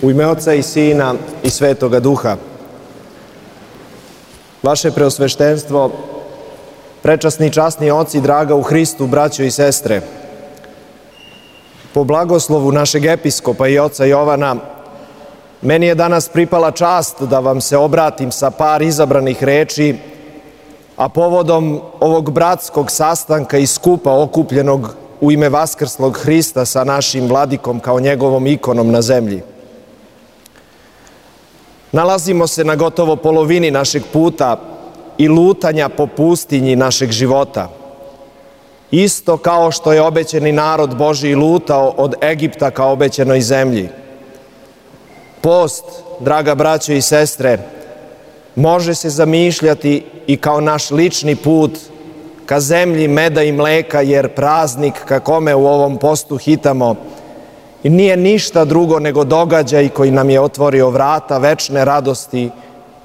U ime Oca i Sina i Svetoga Duha. Vaše preosveštenstvo, prečasni i časni oci, draga u Hristu, braćo i sestre, po blagoslovu našeg episkopa i oca Jovana, meni je danas pripala čast da vam se obratim sa par izabranih reči, a povodom ovog bratskog sastanka i skupa okupljenog u ime vaskrslog Hrista sa našim vladikom kao njegovom ikonom na zemlji. Nalazimo se na gotovo polovini našeg puta i lutanja po pustinji našeg života. Isto kao što je obećani narod Božji lutao od Egipta ka obećanoj zemlji. Post, draga braćo i sestre, može se zamišljati i kao naš lični put ka zemlji meda i mleka, jer praznik ka kome u ovom postu hitamo i nije ništa drugo nego događaj koji nam je otvorio vrata večne radosti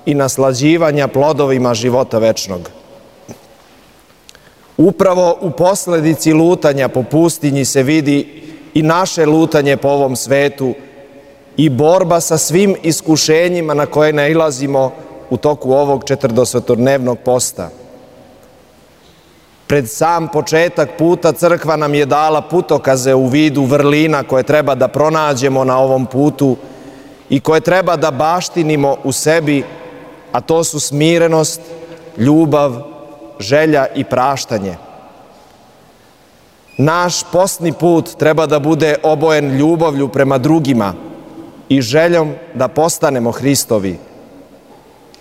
i naslađivanja plodovima života večnog. Upravo u posledici lutanja po pustinji se vidi i naše lutanje po ovom svetu i borba sa svim iskušenjima na koje nailazimo u toku ovog 40-dnevnog posta. Pred sam početak puta crkva nam je dala putokaze u vidu vrlina koje treba da pronađemo na ovom putu i koje treba da baštinimo u sebi, a to su smirenost, ljubav, želja i praštanje. Naš postni put treba da bude obojen ljubavlju prema drugima i željom da postanemo Hristovi,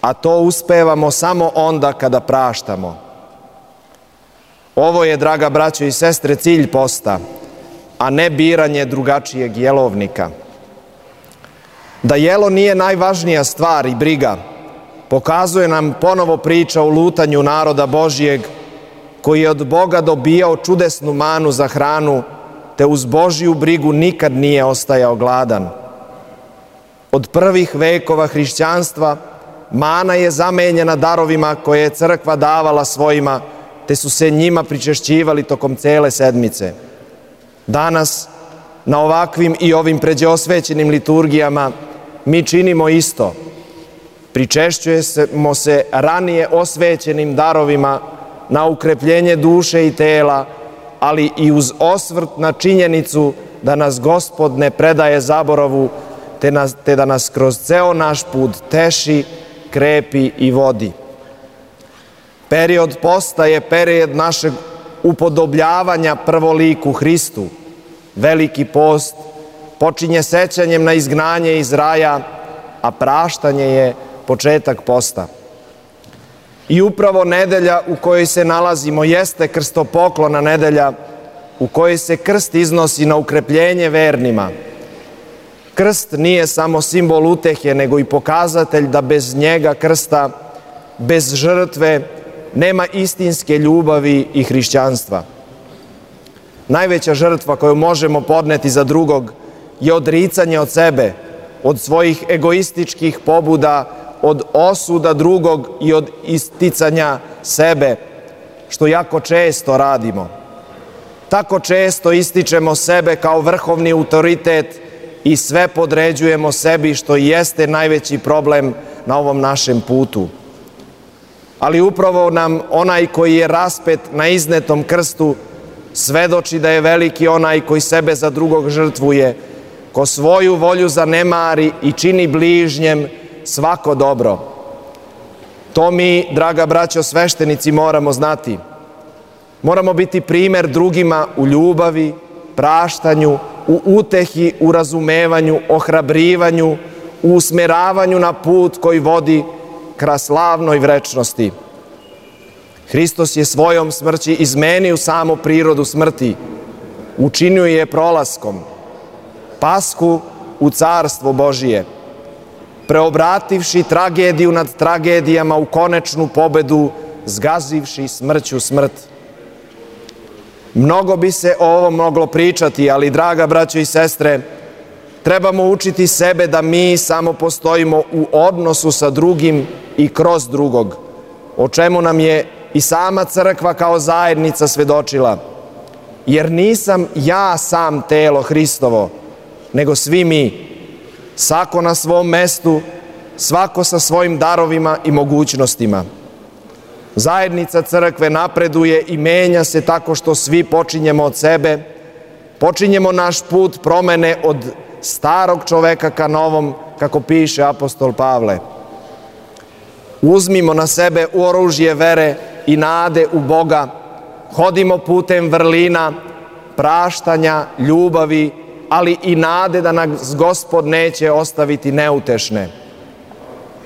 a to uspevamo samo onda kada praštamo. Ovo je, draga braćo i sestre, cilj posta, a ne biranje drugačijeg jelovnika. Da jelo nije najvažnija stvar i briga, pokazuje nam ponovo priča o lutanju naroda Božijeg, koji je od Boga dobijao čudesnu manu za hranu, te uz Božju brigu nikad nije ostajao gladan. Od prvih vekova hrišćanstva mana je zamenjena darovima koje je crkva davala svojima, te su se njima pričešćivali tokom cele sedmice. Danas, na ovakvim i ovim pređeosvećenim liturgijama, mi činimo isto. Pričešćujemo se ranije osvećenim darovima na ukrepljenje duše i tela, ali i uz osvrt na činjenicu da nas Gospod ne predaje zaboravu, te da nas kroz ceo naš put teši, krepi i vodi. Period posta je period našeg upodobljavanja prvoliku Hristu. Veliki post počinje sećanjem na izgnanje iz raja, a praštanje je početak posta. I upravo nedelja u kojoj se nalazimo jeste krstopoklona nedelja u kojoj se krst iznosi na ukrepljenje vernima. Krst nije samo simbol utehe, nego i pokazatelj da bez njega krsta, bez žrtve, nema istinske ljubavi i hrišćanstva. Najveća žrtva koju možemo podneti za drugog je odricanje od sebe, od svojih egoističkih pobuda, od osuda drugog i od isticanja sebe, što jako često radimo. Tako često ističemo sebe kao vrhovni autoritet i sve podređujemo sebi, što jeste najveći problem na ovom našem putu. Ali upravo nam onaj koji je raspet na iznetom krstu svedoči da je veliki onaj koji sebe za drugog žrtvuje, ko svoju volju zanemari i čini bližnjem svako dobro. To mi, draga braćo sveštenici, moramo znati. Moramo biti primer drugima u ljubavi, praštanju, u utehi, u razumevanju, ohrabrivanju, u usmeravanju na put koji vodi ka slavnoj večnosti. Hristos je svojom smrći izmenio samu prirodu smrti, učinio je prolaskom, Pashu u carstvo Božije, preobrativši tragediju nad tragedijama u konečnu pobedu, zgazivši smrću smrt. Mnogo bi se o ovom moglo pričati, ali, draga braćo i sestre, trebamo učiti sebe da mi samo postojimo u odnosu sa drugim i kroz drugog, o čemu nam je i sama crkva kao zajednica svedočila. Jer nisam ja sam telo Hristovo, nego svi mi. svako na svom mestu, svako sa svojim darovima i mogućnostima. Zajednica crkve napreduje i menja se tako što svi počinjemo od sebe, počinjemo naš put promene od starog čoveka ka novom, kako piše apostol Pavle. Uzmimo na sebe oružje vere i nade u Boga, hodimo putem vrlina, praštanja, ljubavi, ali i nade da nas Gospod neće ostaviti neutešne.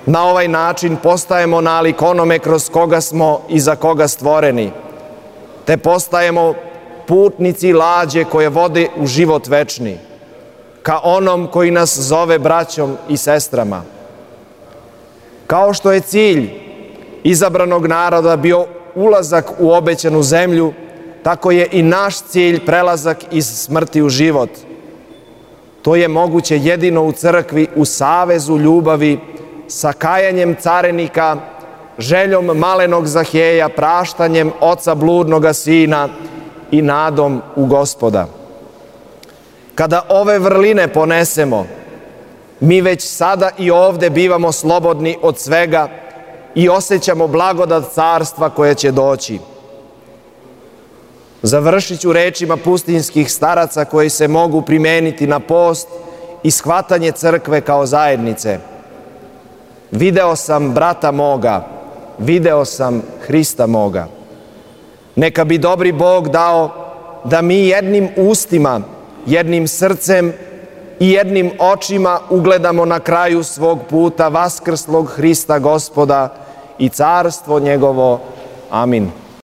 Na ovaj način postajemo nalik onome kroz koga smo i za koga stvoreni, te postajemo putnici lađe koje vode u život večni, ka onom koji nas zove braćom i sestrama. Kao što je cilj izabranog naroda bio ulazak u obećanu zemlju, tako je i naš cilj prelazak iz smrti u život. To je moguće jedino u crkvi, u savezu ljubavi, sa kajanjem carenika, željom malenog Zaheja, praštanjem oca bludnoga sina i nadom u Gospoda. Kada ove vrline ponesemo, mi već sada i ovde bivamo slobodni od svega i osjećamo blagodat carstva koje će doći. Završit ću rečima pustinjskih staraca koji se mogu primeniti na post i shvatanje crkve kao zajednice. Video sam brata moga, video sam Hrista moga. Neka bi dobri Bog dao da mi jednim ustima, jednim srcem i jednim očima ugledamo na kraju svog puta vaskrslog Hrista Gospoda i carstvo njegovo. Amin.